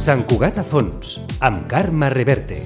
Sant Cugat a fons, amb Carme Reverte.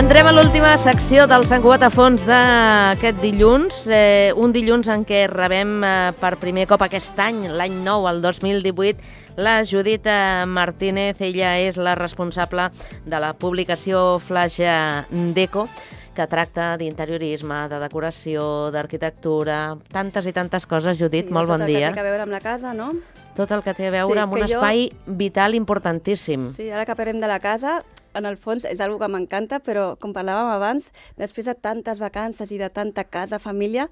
Entrem a l'última secció del Sant Cugat a fons d'aquest dilluns, un dilluns en què rebem per primer cop aquest any, l'any nou, el 2018, la Judit Martínez. Ella és la responsable de la publicació Flash Deco, que tracta d'interiorisme, de decoració, d'arquitectura, tantes i tantes coses. Judit, sí, molt bon dia. Tot el que té a veure amb la casa, no? Tot el que té a veure amb un espai vital importantíssim. Sí, ara que parlem de la casa, en el fons és una que m'encanta, però com parlàvem abans, després de tantes vacances i de tanta casa, família,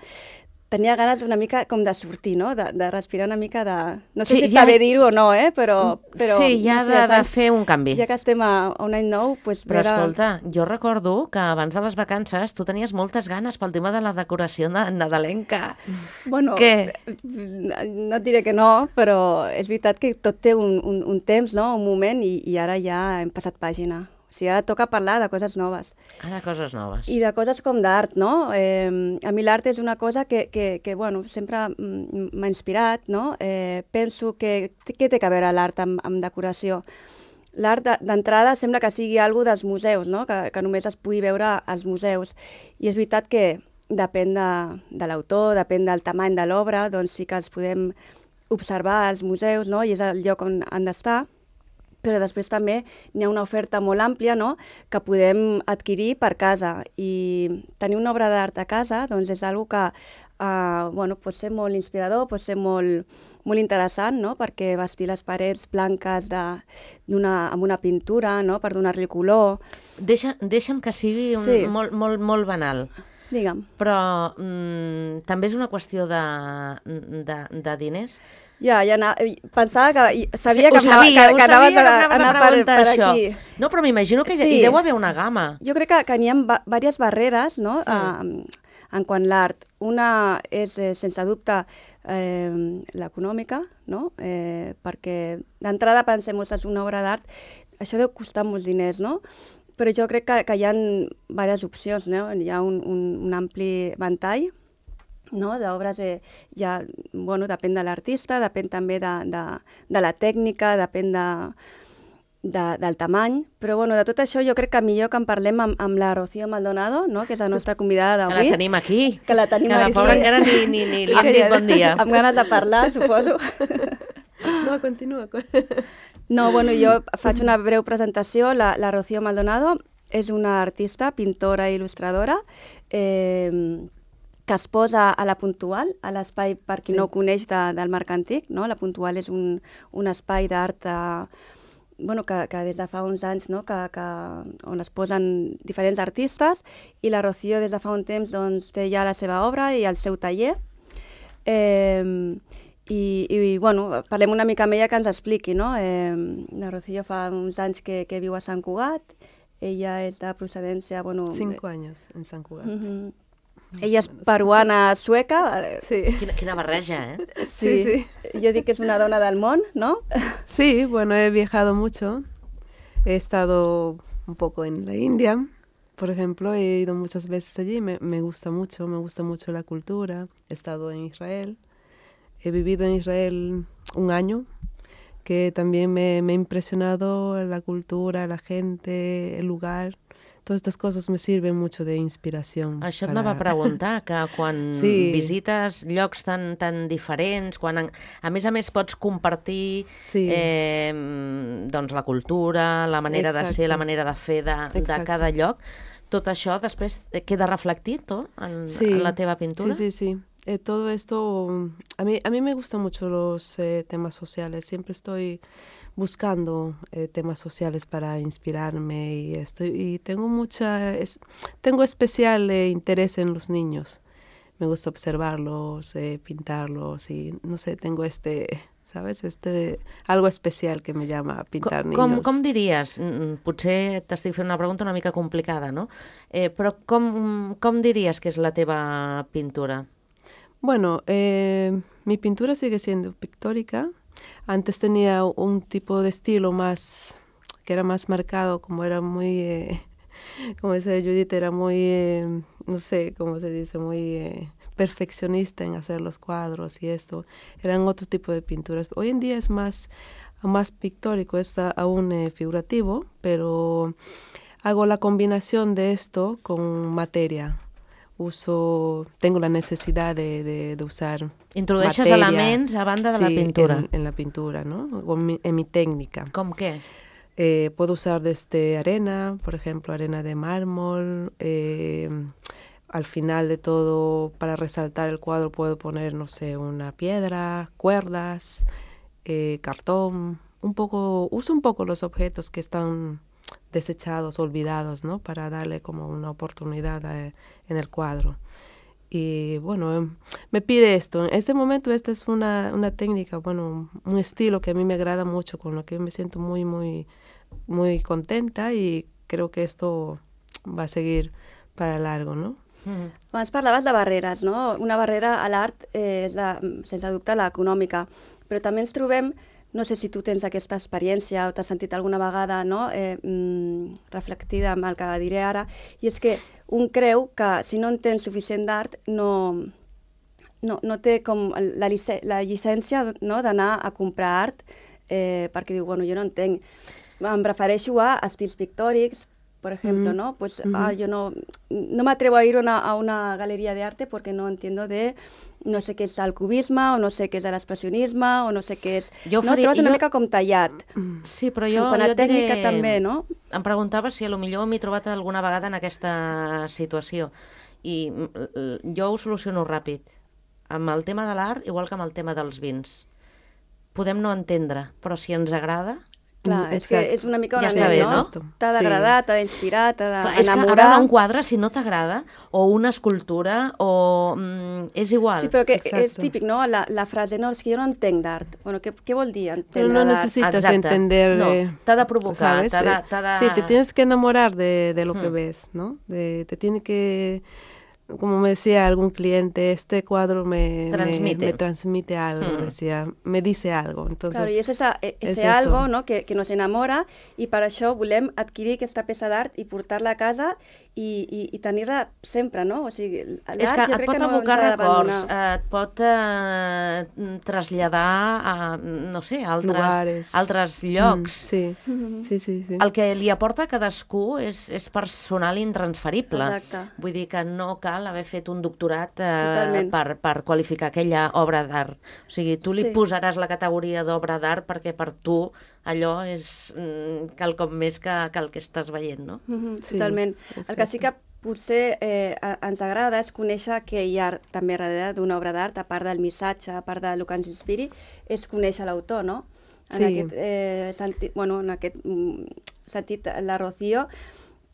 tenia ganes una mica com de sortir, no? De respirar una mica de... No sé si està bé dir-ho o no, però sí, ja no sé, de fer un canvi. Ja que estem a un any nou... Pues, però escolta, jo recordo que abans de les vacances tu tenies moltes ganes pel tema de la decoració nadalenca. Bueno, no et diré que no, però és veritat que tot té un temps, no? Un moment, i ara ja hem passat pàgina. O sigui, ara toca parlar de coses noves. Ah, de coses noves. I de coses com d'art, no? A mi l'art és una cosa que bueno, sempre m'ha inspirat, no? Penso que... Què té a veure l'art amb decoració? L'art d'entrada sembla que sigui alguna dels museus, no? Que només es pugui veure als museus. I és veritat que depèn de l'autor, depèn del tamany de l'obra, doncs sí que els podem observar als museus, no? I és el lloc on han d'estar. Però després també n'hi ha una oferta molt àmplia, no?, que podem adquirir per casa. I tenir una obra d'art a casa doncs és una cosa que bueno, pot ser molt inspirador, pot ser molt interessant, no?, perquè vestir les parets blanques amb una pintura, no?, per donar-li color. Deixa'm que sigui molt banal. Digue'm. Però també és una qüestió de diners? Ja pensava que... Sabia que anaves per aquí. No, però m'imagino que hi deu haver una gamma. Jo crec que n'hi ha diverses barreres, no?, en quant a l'art. Una és, sense dubte, l'econòmica, no?, perquè d'entrada pensem que és una obra d'art, això deu costar molts diners, no?, però jo crec que hi ha diverses opcions, no?, hi ha un ampli ventall, no?, d'obres, ja, bueno, depèn de l'artista, depèn també de la tècnica, depèn del tamany, però bueno, de tot això jo crec que millor que en parlem amb la Rocío Maldonado, no?, que és la nostra convidada d'avui. Que la tenim aquí. Que la pobra encara ni li hem dit bon dia. Amb ganes de parlar, suposo. No, continua. No, bueno, jo faig una breu presentació. La Rocío Maldonado és una artista, pintora i il·lustradora, que es posa a la Puntual, a l'espai, per qui no ho coneix, del Marc Antic, no? La Puntual és un espai d'art bueno, que des de fa uns anys, no?, on es posen diferents artistes, i la Rocío des de fa un temps doncs, té ja la seva obra i el seu taller. I bueno, parlem una mica amb ella que ens expliqui, no? La Rocío fa uns anys que viu a Sant Cugat, ella és de procedència... 5 anys en Sant Cugat. Ella és peruana sueca. Sí. Quina barreja, ¿eh? Sí. Yo digo que es una dona del món, ¿no? Sí, bueno, he viajado mucho. He estado un poco en la India, por ejemplo. He ido muchas veces allí. Me gusta mucho la cultura. He estado en Israel. He vivido en Israel un año, que también me ha impresionado la cultura, la gente, el lugar. Todas estas cosas me sirven mucho de inspiración. Això et anava a preguntar, que quan visites llocs tan diferents, quan a més pots compartir doncs la cultura, la manera de ser, la manera de fer de cada lloc, tot això després queda reflectit en la teva pintura? Sí. Todo esto, a mí me gustan mucho los temas sociales. Siempre estoy buscando temas sociales para inspirarme y tengo especial interés en los niños. Me gusta observarlos, pintarlos y no sé, tengo ¿sabes? Algo especial que me llama a pintar niños. Com diries, potser t'estic fent una pregunta una mica complicada, no? Però com diries que és la teva pintura? Bueno, mi pintura sigue siendo pictórica. Antes tenía un tipo de estilo que era más marcado, como era muy, como dice Judith, era muy, no sé cómo se dice, muy perfeccionista en hacer los cuadros y esto. Eran otro tipo de pinturas. Hoy en día es más pictórico, es aún figurativo, pero hago la combinación de esto con materia. Tengo la necesidad de usar Introdueixes materia, elements a banda de la pintura. En la pintura, ¿no? O en mi técnica. ¿Com qué? Puedo usar desde arena, por ejemplo, arena de mármol. Al final de todo, para resaltar el cuadro, puedo poner, no sé, una piedra, cuerdas, cartón. Uso un poco los objetos que están desechados, olvidados, ¿no? Para darle como una oportunidad en el cuadro. Y bueno, me pide esto. En este momento esta es una técnica, bueno, un estilo que a mí me agrada mucho, con lo que me siento muy, muy, muy contenta y creo que esto va a seguir para largo, ¿no? Abans parlaves de barreres, no? Una barrera a l'art és, sense dubte, l'econòmica, però també ens trobem, no sé si tu tens aquesta experiència o t'has sentit alguna vegada, no? Reflectida amb el que diré ara, i és que un creu que si no entén suficient d'art no té com la llicència, no? D'anar a comprar art perquè diu, bueno, jo no entenc, em refereixo a estils pictòrics, por ejemplo, ¿no? Pues yo no me atrevo a ir a una galería de arte porque no entiendo no sé què és el cubisme, o no sé què és l'expressionisme, o no sé què és... Trobes una mica com tallat. Sí, però jo a tècnica diré... també, no? Em preguntava si potser m'he trobat alguna vegada en aquesta situació. I jo ho soluciono ràpid. Amb el tema de l'art, igual que amb el tema dels vins. Podem no entendre, però si ens agrada... Clar, és que és una mica una ment, no? T'ha d'agradar, t'ha d'inspirar, t'ha d'enamorar... És que ara un quadre, si no t'agrada, o una escultura, o... és igual. Sí, però que és típic, no? La frase, no, és que jo no entenc d'art. Bueno, què vol dir entendre no d'art? necesitas entender... No, t'ha de provocar, t'ha de... Sí, te tienes que enamorar de lo que ves, ¿no? Te tiene que... Como me decía algún cliente, este cuadro me transmite algo, decía, me dice algo. Entonces, claro, y es ese algo, ¿no? que nos enamora, i per això volem adquirir aquesta peça d'art i portar-la a casa i tenir-la sempre, no? O sigui, l'art és que jo et crec pot que no evocar ens ha records, d'abandonar. et pot traslladar a, no sé, altres llocs. Sí. El que li aporta a cadascú és personal i intransferible. Exacte. Vull dir que no cal haver fet un doctorat per qualificar aquella obra d'art. O sigui, tu li posaràs la categoria d'obra d'art perquè per tu allò és quelcom més que el que estàs veient, no? Totalment. El que sí que potser ens agrada és conèixer que hi ha també darrere d'una obra d'art, a part del missatge, a part del que ens inspiri, és conèixer l'autor, no? En aquest sentit, la Rocío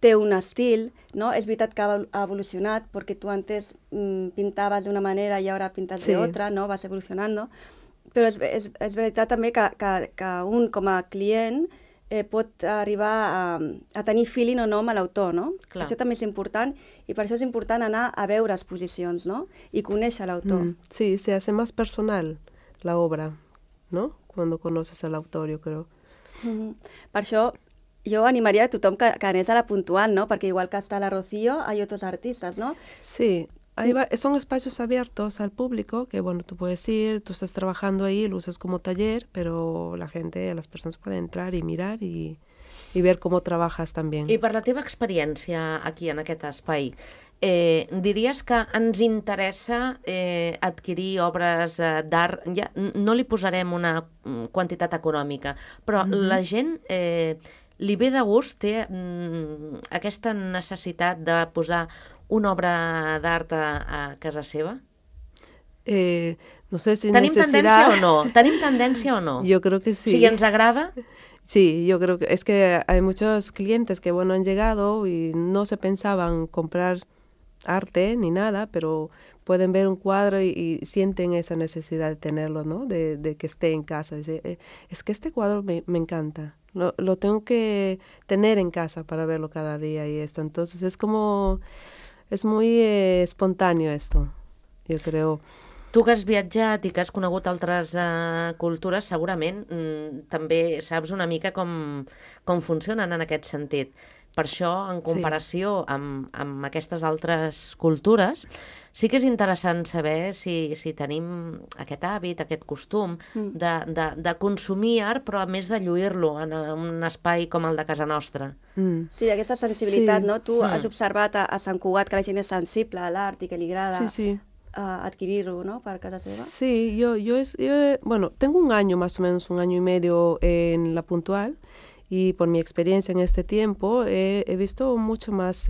té un estil, no? És veritat que ha evolucionat, perquè tu antes pintabas de una manera i ara pintas de otra, no? Vas evolucionando. Però és veritat també que un, com a client, pot arribar a tenir feeling o no amb l'autor, no? Això també és important, i per això és important anar a veure exposicions, no? I conèixer l'autor. Sí, se hace más personal la obra, ¿no? Cuando conoces al autor, yo creo. Per això jo animaria a tothom que anés a la Puntual, ¿no? Perquè igual que està la Rocío, hay otros artistas, ¿no? Sí, son espacios abiertos al público que, bueno, tú puedes ir, tú estás trabajando ahí, lo usas como taller, pero las personas pueden entrar y mirar y ver cómo trabajas también. I per la teva experiència aquí, en aquest espai, diries que ens interessa adquirir obres d'art, ja no li posarem una quantitat econòmica, però la gent li ve de gust, té aquesta necessitat de posar una obra d'art a casa seva? No sé si ¿Tenim tendència o no? ¿Tenim tendència o no? Yo creo que sí. Si ens agrada? Sí, yo creo que es que hay muchos clientes que, bueno, han llegado y no se pensaban comprar arte ni nada, pero pueden ver un cuadro y sienten esa necesidad de tenerlo, ¿no? De que esté en casa. Es que este cuadro me encanta. Lo tengo que tener en casa para verlo cada día y esto. Entonces es muy espontáneo esto, yo creo. Tu que has viatjat i que has conegut altres cultures, segurament també saps una mica com funcionen en aquest sentit. Per això, en comparació amb aquestes altres cultures, sí que és interessant saber si tenim aquest hàbit, aquest costum de consumir art, però a més de lluir-lo en un espai com el de casa nostra. Sí, aquesta sensibilitat, no? Tu has observat a Sant Cugat que la gent és sensible a l'art i que li agrada adquirir-lo, ¿no? Para casa seva. Sí, yo bueno, tengo un año más o menos, 1 año y medio en La Puntual, y por mi experiencia en este tiempo he visto mucho más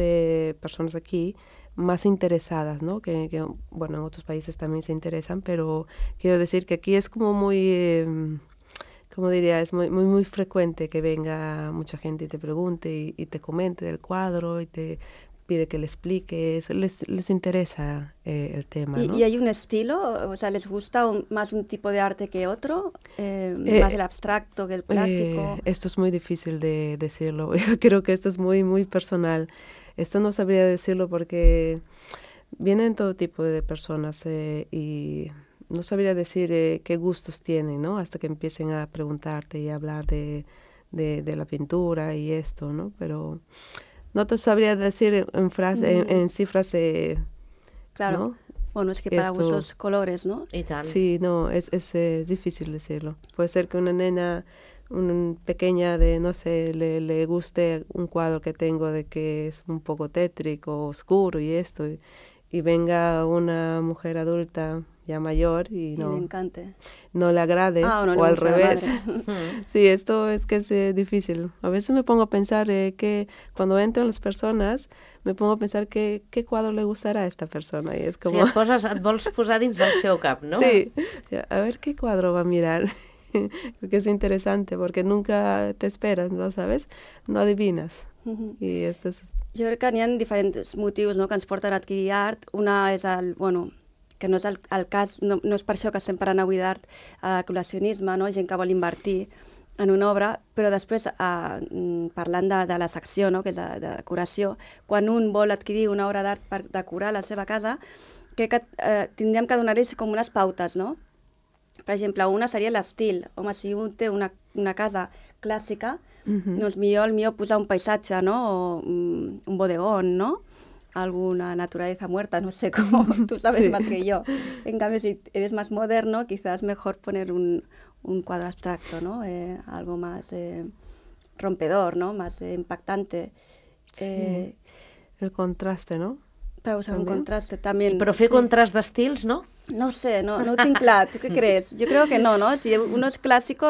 personas aquí más interesadas, ¿no? Que, bueno, en otros países también se interesan, pero quiero decir que aquí es como muy, como diría, es muy frecuente que venga mucha gente y te pregunte y te comente del cuadro y te pide que le expliques, les interesa el tema, ¿no? ¿Y hay un estilo? O sea, ¿les gusta más un tipo de arte que otro? ¿Más el abstracto que el clásico? Esto es muy difícil de decirlo. Yo creo que esto es muy personal. Esto no sabría decirlo porque vienen todo tipo de personas y no sabría decir qué gustos tienen, ¿no? Hasta que empiecen a preguntarte y a hablar de la pintura y esto, ¿no? Pero no te sabría decir en cifras, claro. ¿no? Bueno, es que para gustos colores, ¿no? I tant. Sí, no, es difícil decirlo. Puede ser que una nena pequeña de, no sé, le guste un cuadro que tengo de que es un poco tétrico, oscuro y esto, y venga una mujer adulta ya mayor y le encante. No le agrade, o al revés. Sí, esto es que es difícil. A veces me pongo a pensar que cuando entran las personas, me pongo a pensar qué cuadro le gustará a esta persona. Y es como... Sí, et vols posar dins del seu cap, ¿no? Sí, o sea, a ver qué cuadro va a mirar. Que es interesante porque nunca te esperas, ¿no? ¿Sabes? No adivinas. Y esto es... Jo crec que n'hi ha diferents motius, no?, que ens porten a adquirir art. Una és que no és el cas, no és per això que estem parlant avui d'art, col·leccionisme, no? Gent que vol invertir en una obra, però després, parlant de la secció, no?, que és de decoració, quan un vol adquirir una obra d'art per decorar la seva casa, crec que tindríem que donar-los com unes pautes, no? Per exemple, una seria l'estil. Home, si un té una casa clàssica, doncs millor posar un paisatge, no? O un bodegón, ¿no? Alguna naturaleza muerta, no sé cómo, tú sabes más que yo. En cambio, si eres más moderno, quizás mejor poner un cuadro abstracto, ¿no? Algo más rompedor, ¿no? Más impactante. Sí. El contraste, ¿no? Para usar un contraste también. Però fer contrast d'estils, no? No sé, no ho tinc clar. ¿Tú qué crees? Yo creo que no, ¿no? Si uno es clásico,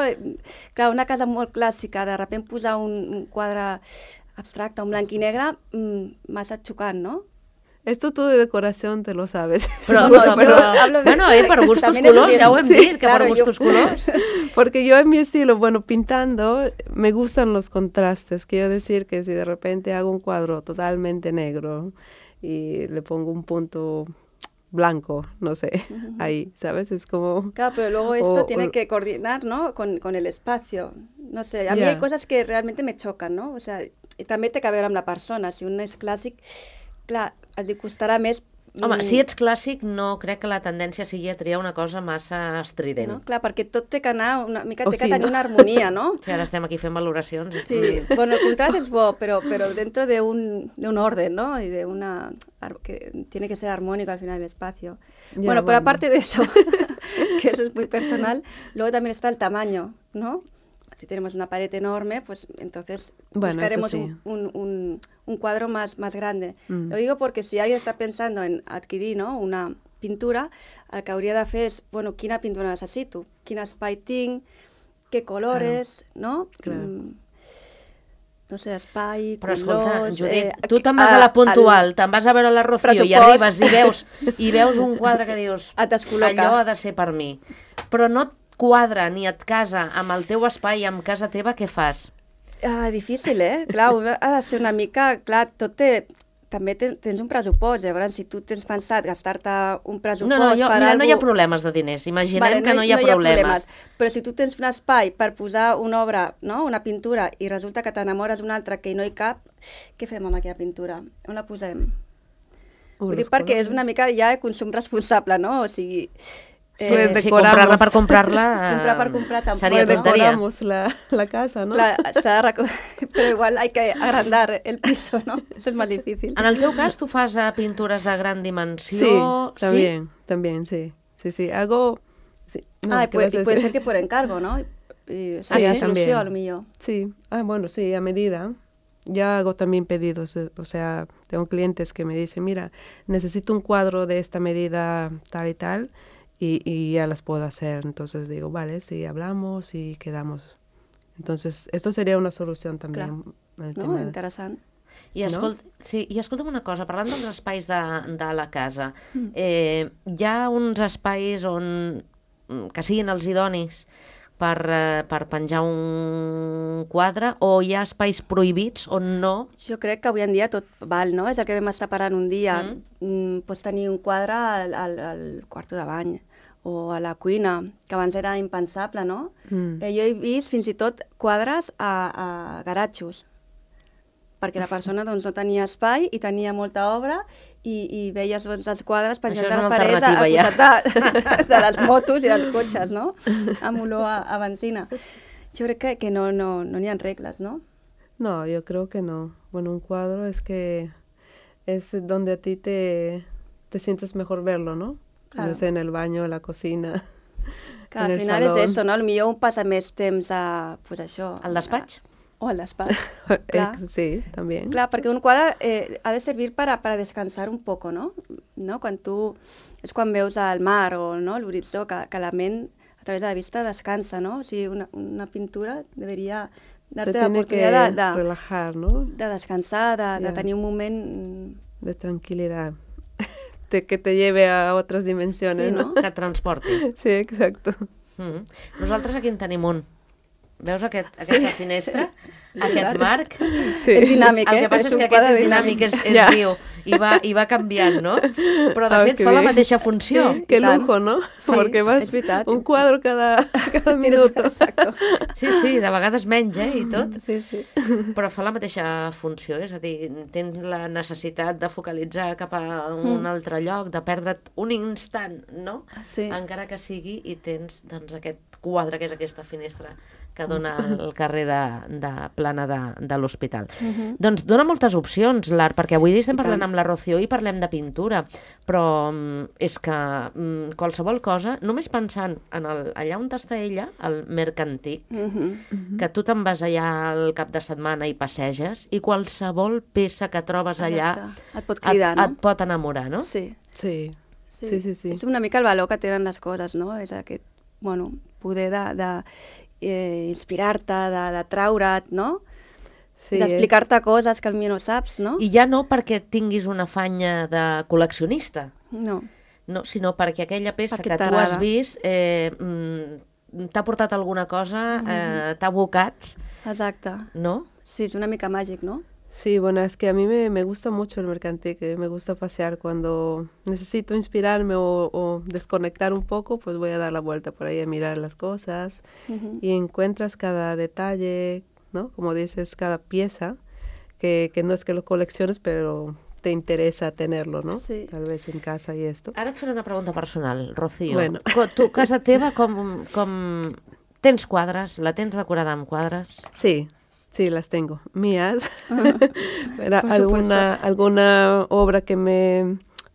claro, una casa molt clàssica, de repente posar un quadre abstracte, un blanc i negre, massa xocant, ¿no? Esto tú de decoración te lo sabes. Però per gustos colors, ja ho hem dit, que per gustos colors. Porque yo en mi estilo, bueno, pintando, me gustan los contrastes. Quiero decir que si de repente hago un cuadro totalmente negro y le pongo un punto blanco, no sé, ahí, ¿sabes? Es como... Claro, pero luego esto tiene que coordinar, ¿no? Con el espacio. No sé, a mí hay cosas que realmente me chocan, ¿no? O sea, també té que veure amb la persona. Si un és clàssic, clar, et costarà més... Home, si ets clàssic, no crec que la tendència sigui a triar una cosa massa estrident. No? Clar, perquè tot té que anar una mica, té que tenir una harmonia, ¿no? Sí, ara estem aquí fent valoracions. Sí, bueno, el contrast es bo, pero dentro de un orden, ¿no? Y de que tiene que ser armónico al final el espacio. Bueno, pero aparte de eso, que eso es muy personal, luego también está el tamaño, ¿no? si tenemos una pared enorme, pues entonces Bueno, buscaremos eso sí. un cuadro más grande. Lo digo porque si alguien está pensando en adquirir, no?, una pintura, el que hauria de fer és, bueno, quina pintura necessito, quin espai tinc, què colores, no? Clar. No sé, espai, Però colors... escolta, Judit, tu te'n vas a la Puntual, te'n vas a veure la Rocío i arribes i veus un quadre que dius Et descol·loca. allò ha de ser per mi. Però no et quadra ni et casa amb el teu espai, amb casa teva, què fas? Difícil, Clar, ha de ser una mica... Clar, tot té... També tens un pressupost, llavors si tu tens pensat gastar-te un pressupost No, per mira, algú... no hi ha problemes de diners, imaginem que no hi ha problemes. Però si tu tens un espai per posar una obra, no?, una pintura, i resulta que t'enamores d'una altra que no hi cap, què fem amb aquella pintura? On la posem? Vull dir, perquè és una mica ja consum responsable, no? O sigui... Sí, comprar-la per comprar-la comprar per comprar tampoc. seria tonteria. Decoramos la casa, ¿no? Clar, però igual hay que agrandar el piso, ¿no? Eso es más difícil. En el teu cas, tu fas pintures de gran dimensió? Sí, también, sí. Sí, hago... Sí. No, Y puede ser que por encargo, ¿no? Y sería solución, a lo mejor. Sí, bueno, sí, a medida. Ya hago también pedidos, o sea, tengo clientes que me dicen, mira, necesito un cuadro de esta medida tal y tal, y ya las puedo hacer. Entonces digo, vale, sí, hablamos y quedamos. Entonces, esto sería una solución también. Clar. El No? tema Interessant. I escolta'm una cosa, parlant dels espais de la casa, hi ha uns espais que siguin els idonis per penjar un quadre, o hi ha espais prohibits on no? Jo crec que avui en dia tot val, no? És el que vam estar parlant un dia. Pots tenir un quadre al quarto de bany o a la cuina, que abans era impensable, no? Jo he vist fins i tot quadres a garatxos, perquè la persona doncs, no tenia espai i tenia molta obra i veies doncs, els quadres penjant de les parets al costat de les motos i dels cotxes, no? Amb olor a benzina. Jo crec que no n'hi ha regles, ¿no? No, yo creo que no. Bueno, un cuadro es que es donde a ti te sientes mejor verlo, ¿no? Claro. No sé, en el baño, en la cocina, Que en al el final salón. és esto, no? Potser un passa més temps a, pues això... Al despatx? O al despatx, clar. Sí, también. Clar, perquè un quadre ha de servir para descansar un poco, ¿no? Quan tu... És quan veus el mar o no, l'horitzó, que la ment a través de la vista descansa, ¿no? O sigui, una pintura debería darte la oportunidad de relajar, ¿no? De descansar, de tenir un moment... De tranquilidad. Que te lleve a otras dimensiones, Sí, ¿no? Que et transporti. Sí, exacto. Nosaltres aquí en tenim un. Veus aquesta finestra? Aquest marc? Sí. És dinàmic, El que passa és que aquest és dinàmic, és viu, i va canviant, no? Però de fet que fa la bé. mateixa funció. Sí. Qué Tan. lujo, ¿no? Sí, Porque vas es verdad. un cuadro cada minuto. Exacto. Sí, de vegades menys, i tot. Sí, sí. Però fa la mateixa funció, és a dir, tens la necessitat de focalitzar cap a un altre lloc, de perdre't un instant, no? Sí. Encara que sigui, i tens doncs, aquest quadre, que és aquesta finestra que dona al carrer de plana de l'hospital. Doncs dona moltes opcions, l'art, perquè avui estem parlant amb la Rocío i parlem de pintura, però és que qualsevol cosa, només pensant en allà on està ella, el Mercantic, que tu te'n vas allà al cap de setmana i passeges, i qualsevol peça que trobes allà Et pot cridar, no? et pot enamorar, no? Sí. Sí. Sí, sí, sí. És una mica el valor que tenen les coses, no? És aquest, bueno, poder de inspirar-te, de traure't, no? Sí, D'explicar-te coses que potser no saps, no? I ja no perquè tinguis una afanya de col·leccionista, No. no, sinó perquè aquella peça Perquè que tu t'agrada. has vist t'ha portat alguna cosa, t'ha abocat, Exacte. no? Sí, és una mica màgic, no? Sí, bueno, es que a mí me gusta mucho el Mercantic, me gusta pasear cuando necesito inspirarme o desconectar un poco, pues voy a dar la vuelta por ahí a mirar las cosas y encuentras cada detalle, ¿no? Como dices, cada pieza, que no es que lo colecciones, pero te interesa tenerlo, ¿no? Sí. Tal vez en casa y esto. Ara et faré una pregunta personal, Rocío. Bueno. Tu, casa teva, com tens quadres? La tens decorada amb quadres? Sí, sí, las tengo, mías. Pero Por supuesto. alguna obra que me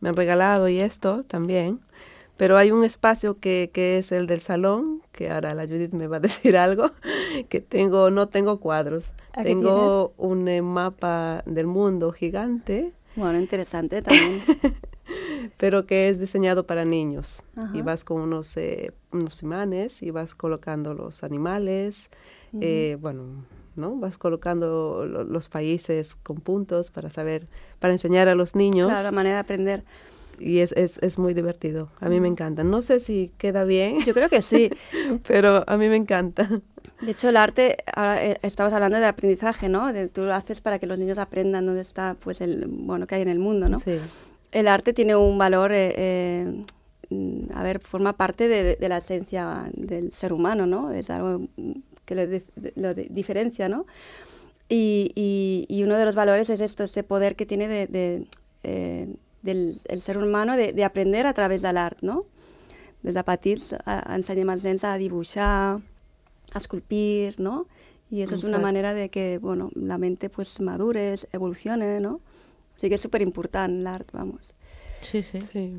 han regalado y esto también. Pero hay un espacio que es el del salón, que ahora la Judith me va a decir algo, que no tengo cuadros. Tengo un mapa del mundo gigante. Bueno, interesante también. Pero que es diseñado para niños. Ajá. Y vas con unos imanes y vas colocando los animales, ¿no? Vas colocando los países con puntos para enseñar a los niños. Claro, la manera de aprender. Y es muy divertido. A mí me encanta. No sé si queda bien. Yo creo que sí. Pero a mí me encanta. De hecho, el arte, ahora estabas hablando de aprendizaje, ¿no? Tú lo haces para que los niños aprendan dónde está, pues, que hay en el mundo, ¿no? Sí. El arte tiene un valor, forma parte de la esencia del ser humano, ¿no? Es algo que lo diferencia, ¿no? Y uno de los valores es este poder que tiene del ser humano de aprender a través de l'art, no? Des de petits ensenyem als nens a dibuixar, a esculpir, ¿no? Y eso es una manera de que, bueno, la mente pues madure, evolucione, ¿no? O sigui que és superimportant l'art, vamos. Sí, sí. Sí.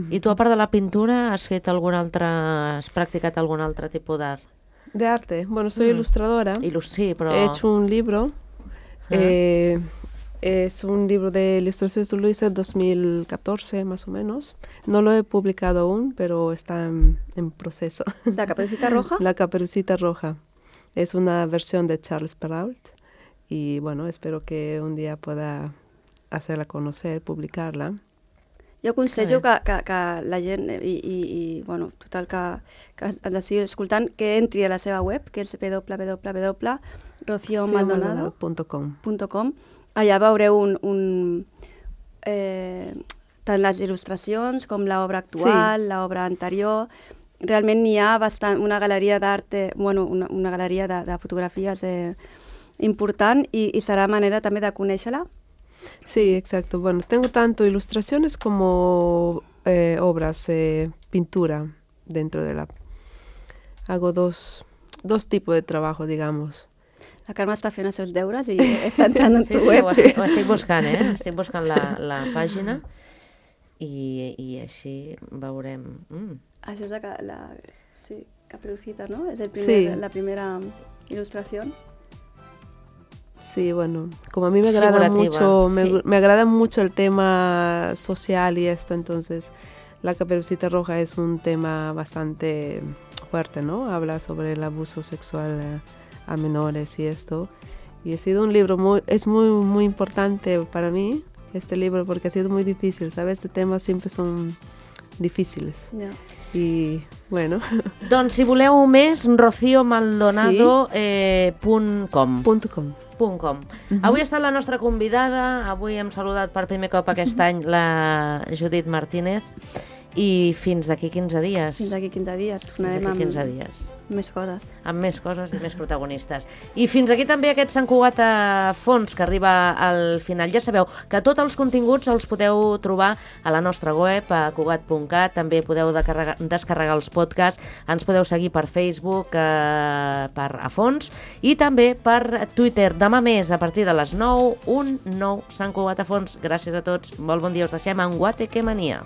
I tu, a part de la pintura, has practicat algun altre tipus d'art? De arte. Bueno, soy ilustradora. Sí, pero... He hecho un libro. Es un libro de ilustraciones de Luisa 2014, más o menos. No lo he publicado aún, pero está en proceso. ¿La Caperucita Roja? La Caperucita Roja. Es una versión de Charles Perrault. Y bueno, espero que un día pueda hacerla conocer, publicarla. Jo aconsello que la gent bueno, total que ens estigui escoltant, que entri a la seva web, que és www.rociomaldonado.com. Allà veureu tant les il·lustracions com l'obra actual, l'obra anterior. Realment n'hi ha una galeria d'art, una galeria de fotografies important i serà manera també de conèixer-la. Sí, exacto. Bueno, tengo tanto ilustraciones como obras, pintura dentro de la... Hago dos tipos de trabajo, digamos. La Carme està fent els seus deures i està entrant en tu web. Sí, ho estic buscant, Estic buscant la pàgina i així veurem. Això és Caperucita, ¿no? Es la primera ilustración. Sí, bueno, como a mí me agrada mucho, me agrada mucho el tema social y esto, entonces La Caperucita Roja es un tema bastante fuerte, ¿no? Habla sobre el abuso sexual a menores y esto. Y ha sido un libro muy importante para mí, este libro, porque ha sido muy difícil, ¿sabes? Este temas siempre son difíciles. Yeah. I, bueno... Doncs, si voleu més, rociomaldonado.com. Avui ha estat la nostra convidada, avui hem saludat per primer cop aquest any la Judith Martínez, i fins d'aquí 15 dies. Fins d'aquí 15 dies, tornarem amb 15 dies. Més coses. Amb més coses i més protagonistes. I fins aquí també aquest Sant Cugat a Fons, que arriba al final. Ja sabeu que tots els continguts els podeu trobar a la nostra web, a cugat.cat, també podeu descarregar els podcasts, ens podeu seguir per Facebook, per a Fons, i també per Twitter. Demà més, a partir de les 9, un nou Sant Cugat a Fons. Gràcies a tots, molt bon dia, us deixem en Guateque Mania.